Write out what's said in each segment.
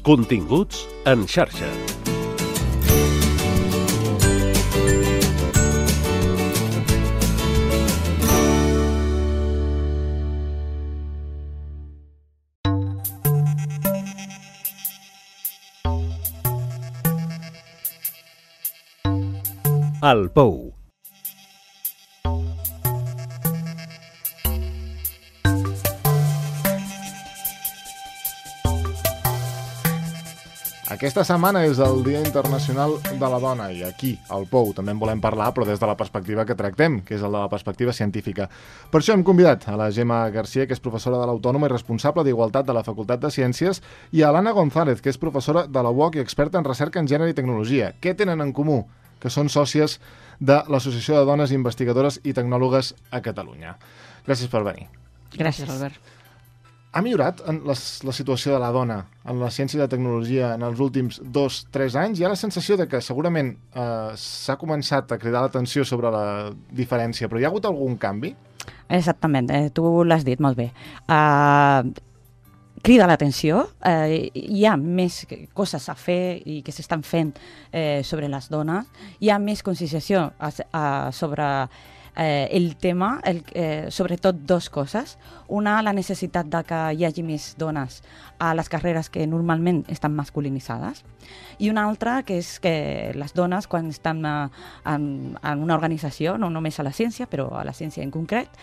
Continguts en xarxa. El Pou. Aquesta setmana és el Dia Internacional de la Dona i aquí, al Pou, també en volem parlar, però des de la perspectiva que tractem, que és el de la perspectiva científica. Per això hem convidat a la Gemma García, que és professora de l'Autònoma i responsable d'Igualtat de la Facultat de Ciències, i a l'Anna González, que és professora de la UOC i experta en recerca en gènere i tecnologia. Què tenen en comú? Que són sòcies de l'Associació de Dones Investigadores i Tecnòlogues a Catalunya. Gràcies per venir. Gràcies, Albert. Ha millorat la situació de la dona en la ciència i la tecnologia en els últims 2-3 anys? Hi ha la sensació de que segurament s'ha començat a cridar l'atenció sobre la diferència, però hi ha hagut algun canvi? Exactament, tu l'has dit molt bé. Crida l'atenció, hi ha més coses a fer i que s'estan fent sobre les dones, hi ha més conscienciació sobre el tema, sobretot dues coses. Una, la necessitat de que hi hagi més dones a les carreres que normalment estan masculinitzades, i una altra, que és que les dones, quan estan en una organització, no només a la ciència, però a la ciència en concret,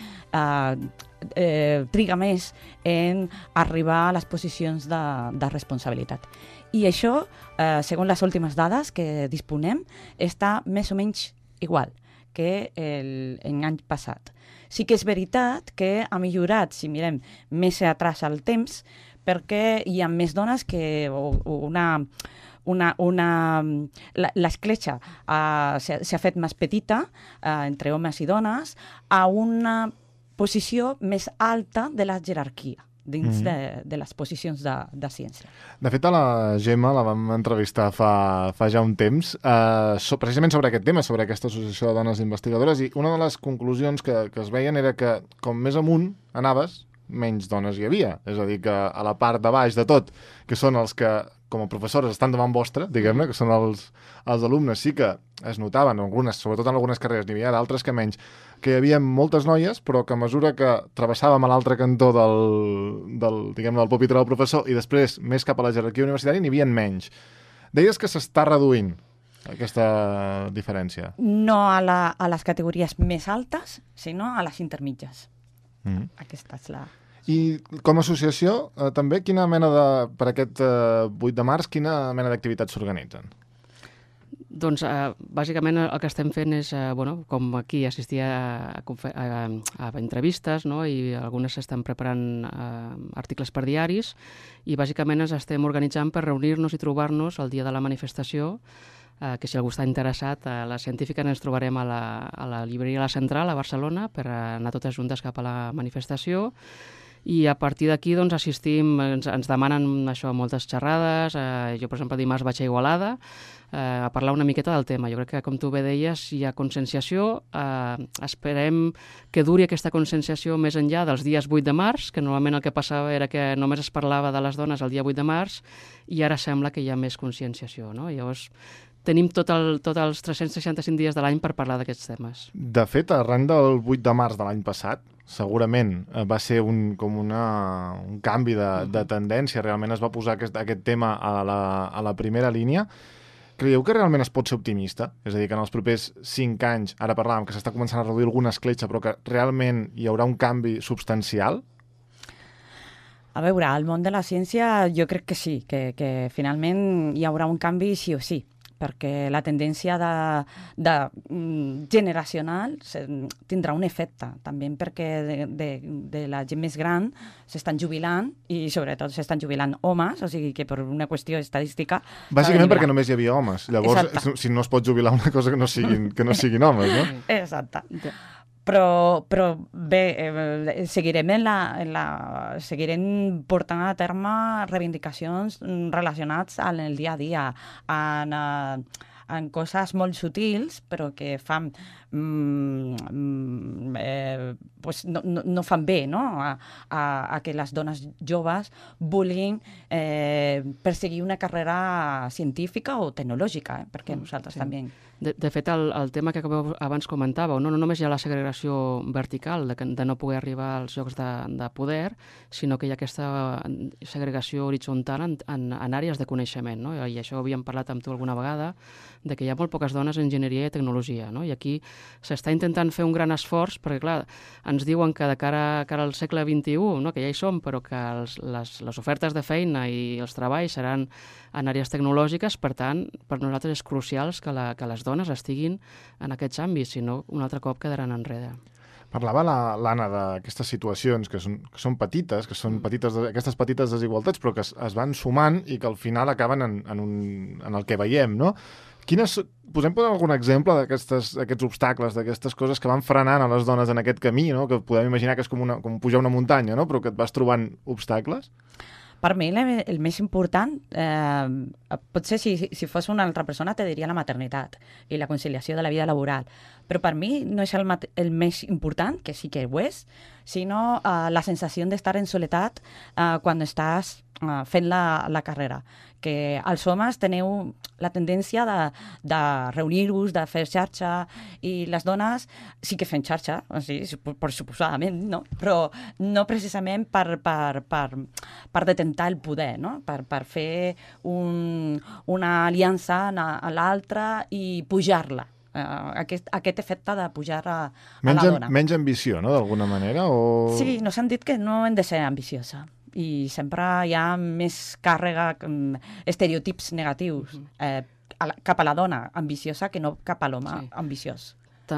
triga més en arribar a les posicions de responsabilitat. I això, segons les últimes dades que disponem, està més o menys igual que l'any passat. Sí que és veritat que ha millorat, si mirem més atrás al temps, perquè hi ha més dones que l'escletxa s'ha fet més petita entre homes i dones a una posició més alta de la jerarquia dins de les posicions de ciència. De fet, a la Gemma la vam entrevistar fa ja un temps, precisament sobre aquest tema, sobre aquesta associació de dones investigadores, i una de les conclusions que es veien era que com més amunt anaves, menys dones hi havia. És a dir, que a la part de baix de tot, que són els que, com a professores, estan davant vostre, diguem-ne, que són els alumnes, sí que es notaven, sobretot en algunes carreres, n'hi havia d'altres que menys, que hi havia moltes noies, però que a mesura que travessàvem a l'altre cantó del pupitre del professor i després més cap a la jerarquia universitària, n'hi havia menys. Deies que s'està reduint aquesta diferència. No a les categories més altes, sinó a les intermitges. Aquesta és la... I com a associació, també, per aquest 8 de març, quina mena d'activitats s'organitzen? Doncs, bàsicament, el que estem fent és, com aquí, assistir a entrevistes, no? I algunes s'estan preparant articles per diaris, i bàsicament ens estem organitzant per reunir-nos i trobar-nos el dia de la manifestació, que si algú està interessat, a la científica ens trobarem a la llibreria La Central, a Barcelona, per anar totes juntes cap a la manifestació. I a partir d'aquí doncs, assistim, ens demanen això, moltes xerrades. Jo, per exemple, dimarts vaig a Igualada a parlar una miqueta del tema. Jo crec que, com tu bé deies, hi ha conscienciació. Esperem que duri aquesta conscienciació més enllà dels dies 8 de març, que normalment el que passava era que només es parlava de les dones el dia 8 de març, i ara sembla que hi ha més conscienciació, no? Llavors, tenim tots els 365 dies de l'any per parlar d'aquests temes. De fet, arran del 8 de març de l'any passat, segurament va ser un canvi de tendència, realment es va posar aquest tema a la primera línia. Creieu que realment es pot ser optimista? És a dir, que en els propers 5 anys, ara parlàvem que s'està començant a reduir alguna escletxa, però que realment hi haurà un canvi substancial? A veure, al món de la ciència jo crec que sí, que finalment hi haurà un canvi sí o sí, perquè la tendència generacional tindrà un efecte, també perquè de la gent més gran s'estan jubilant, i sobretot s'estan jubilant homes, o sigui que per una qüestió estadística... Bàsicament perquè només hi havia homes. Llavors, si no es pot jubilar una cosa que no siguin homes, no? Exacte. Però bé, seguirem portant a terme reivindicacions relacionades amb el dia a dia, en coses molt sutils, però que fan pues no fan bé, no? A que les dones joves vulguin perseguir una carrera científica o tecnològica, perquè nosaltres també... De fet, el tema que abans comentàveu, no només hi ha la segregació vertical, de no poder arribar als llocs de poder, sinó que hi ha aquesta segregació horitzontal en àrees de coneixement, no? I això havíem parlat amb tu alguna vegada, de que hi ha molt poques dones en enginyeria i tecnologia, no? I aquí s'està intentant fer un gran esforç, perquè, clar, ens diuen que de cara al segle XXI, no? Que ja hi som, però que les ofertes de feina i els treballs seran en àrees tecnològiques, per tant, per nosaltres és crucial que les dones estiguin en aquests àmbits, si no, un altre cop quedaran enrere. Parlava l'Anna d'aquestes situacions que són petites, aquestes petites desigualtats, però que es van sumant i que al final acaben en el que veiem, no? Podem posar algun exemple d'aquests obstacles, d'aquestes coses que van frenant a les dones en aquest camí, no? Que podem imaginar que és com pujar una muntanya, no? Però que et vas trobant obstacles? Per mi el més important, potser si fos una altra persona te diria la maternitat i la conciliació de la vida laboral, però per mi no és el més important, que sí que ho és, sinó la sensació d'estar en soledat quan estàs fent la carrera. Que els homes teniu la tendència de reunir-vos, de fer xarxa, i les dones sí que fem xarxa, sí, per suposadament, no? Però no precisament per detentar el poder, no? Per fer una aliança a l'altra i pujar-la. Aquest efecte de pujar a la dona. Menys ambició, no?, d'alguna manera? O... Sí, nos han dit que no hem de ser ambiciosa. I sempre hi ha més càrrega, estereotips negatius cap a la dona ambiciosa que no cap a l'home ambiciós.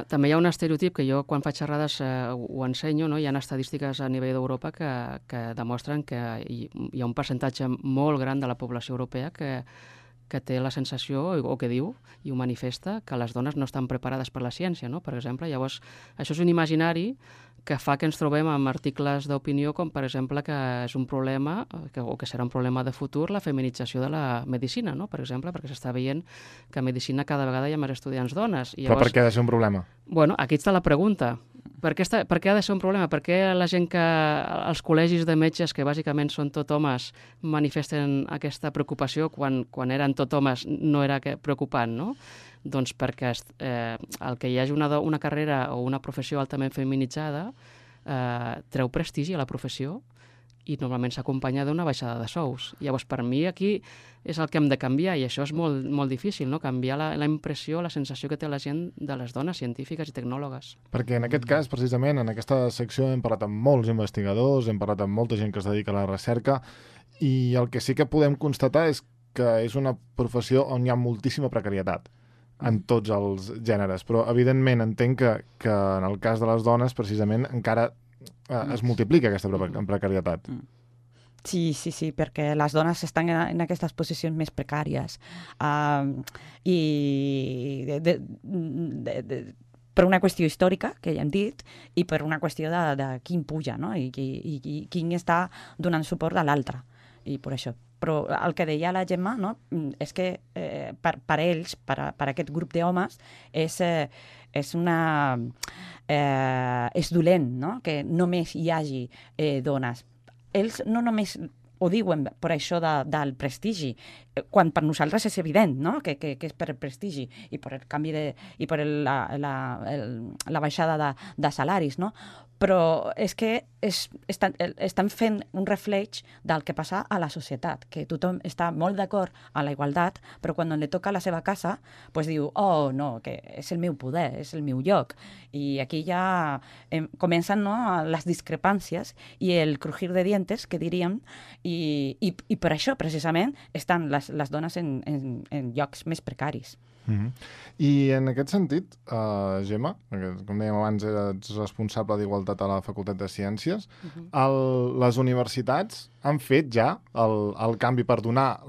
També hi ha un estereotip que jo, quan faig xerrades, ho ensenyo, no? Hi ha estadístiques a nivell d'Europa que demostren que hi ha un percentatge molt gran de la població europea que té la sensació, o que diu, i ho manifesta, que les dones no estan preparades per la ciència, no? Per exemple, llavors, això és un imaginari que fa que ens trobem amb articles d'opinió com, per exemple, que és un problema, o que serà un problema de futur, la feminització de la medicina, no? Per exemple, perquè s'està veient que a medicina cada vegada hi ha més estudiants dones. I llavors... Però per què ha de ser un problema? Bueno, aquí està la pregunta. Per què ha de ser un problema? Per què la gent els col·legis de metges, que bàsicament són tot homes, manifesten aquesta preocupació quan eren tot homes no era preocupant, no? Doncs perquè el que hi hagi una carrera o una professió altament feminitzada treu prestigi a la professió i normalment s'acompanya d'una baixada de sous. Llavors, per mi, aquí és el que hem de canviar, i això és molt, molt difícil, no? Canviar la impressió, la sensació que té la gent de les dones científiques i tecnòlogues. Perquè en aquest cas, precisament, en aquesta secció hem parlat amb molts investigadors, hem parlat amb molta gent que es dedica a la recerca, i el que sí que podem constatar és que és una professió on hi ha moltíssima precarietat en tots els gèneres, però evidentment entenc que en el cas de les dones precisament encara es multiplica aquesta precarietat. Sí, perquè les dones estan en aquestes posicions més precàries i per una qüestió històrica, que ja hem dit, i per una qüestió de quin puja, no? I quin està donant suport a l'altre, i per això. Però el que deia la Gemma, no? És que per ells, per aquest grup d'homes, és dolent, no? Que només hi hagi dones. Ells no només ho diuen per això del prestigi, quan per nosaltres és evident, no? Que és per el prestigi i per el canvi i per la baixada de salaris, no? Però és que estan fent un reflex del que passa a la societat, que tothom està molt d'acord a la igualtat, però quan li toca a la seva casa, pues diu, oh, no, que és el meu poder, és el meu lloc. I aquí ja comencen, no, les discrepàncies i el crujir de dientes, que diríem, i per això, precisament, estan les dones en llocs més precaris. I en aquest sentit, Gemma, com dèiem abans, ets responsable d'Igualtat a la Facultat de Ciències, les universitats han fet ja el canvi per donar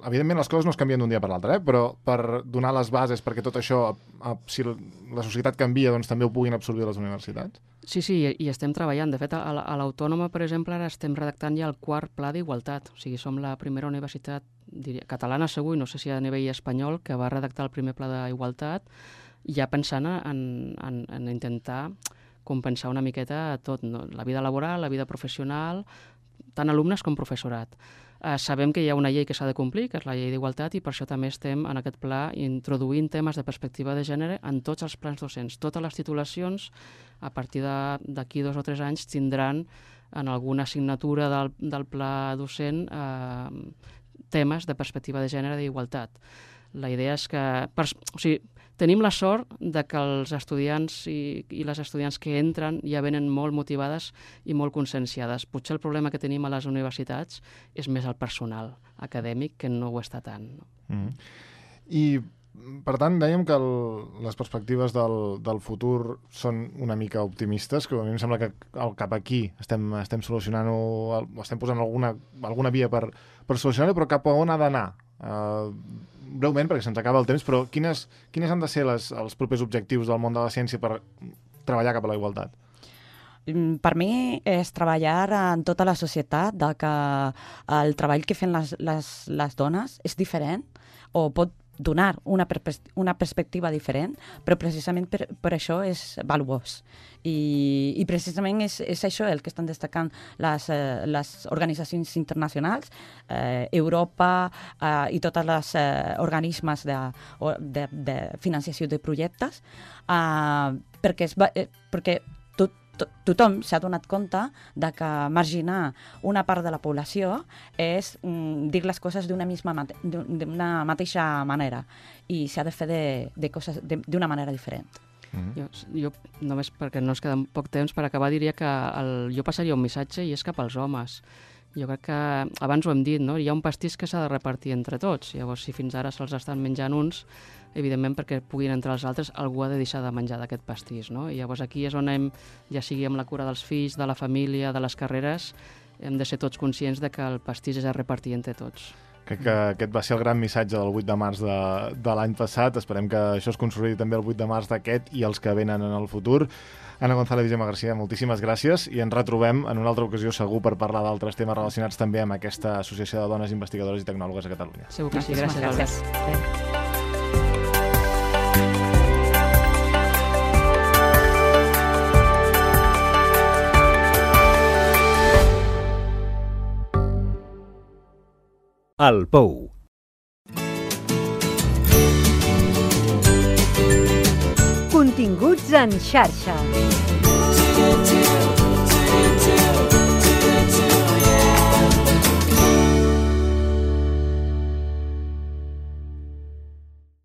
evidentment les coses no es canvien d'un dia per l'altre, però per donar les bases perquè tot això, si la societat canvia, doncs també ho puguin absorbir les universitats? Sí, i estem treballant. De fet, a l'Autònoma, per exemple, ara estem redactant ja el 4è Pla d'Igualtat. O sigui, som la primera universitat catalana segur, i no sé si a nivell espanyol, que va redactar el primer pla d'igualtat, ja pensant en intentar compensar una miqueta tot, no? La vida laboral, la vida professional, tant alumnes com professorat. Sabem que hi ha una llei que s'ha de complir, que és la llei d'igualtat, i per això també estem en aquest pla introduint temes de perspectiva de gènere en tots els plans docents. Totes les titulacions, a partir d'aquí 2 o 3 anys, tindran en alguna assignatura del pla docent temes de perspectiva de gènere d'igualtat. La idea és que... tenim la sort de que els estudiants i les estudiants que entren ja venen molt motivades i molt conscienciades. Potser el problema que tenim a les universitats és més el personal acadèmic, que no ho està tant. I, per tant, dèiem que les perspectives del futur són una mica optimistes, que a mi em sembla que cap aquí estem solucionant-ho, estem posant alguna via per solucionar-ho, però cap a on ha d'anar? Breument, perquè se'ns acaba el temps, però quines han de ser els propers objectius del món de la ciència per treballar cap a la igualtat? Per mi és treballar en tota la societat, que el treball que fan les dones és diferent o pot donar una perspectiva diferent, però precisament per això és valuós. I precisament és això el que estan destacant les organitzacions internacionals, Europa i tots els organismes de financiació de projectes, perquè tothom s'ha donat compte de que marginar una part de la població és dir les coses d'una mateixa manera, i s'ha de fer de coses d'una manera diferent. Jo només perquè no ens queda poc temps per acabar, diria que jo passaria un missatge, i és cap als homes. Jo crec que, abans ho hem dit, no? Hi ha un pastís que s'ha de repartir entre tots. Llavors, si fins ara se'ls estan menjant uns, evidentment, perquè puguin entrar els altres, algú ha de deixar de menjar d'aquest pastís, no? I llavors aquí és on ja sigui amb la cura dels fills, de la família, de les carreres, hem de ser tots conscients de que el pastís és a repartir entre tots. Crec que aquest va ser el gran missatge del 8 de març de l'any passat. Esperem que això es consolidi també el 8 de març d'aquest i els que venen en el futur. Ana González i Gemma García, moltíssimes gràcies, i ens retrobem en una altra ocasió segur per parlar d'altres temes relacionats també amb aquesta Associació de Dones Investigadores i Tecnòlogues a Catalunya. Segur que sí, gràcies, Albert. El Pou. Continguts en xarxa.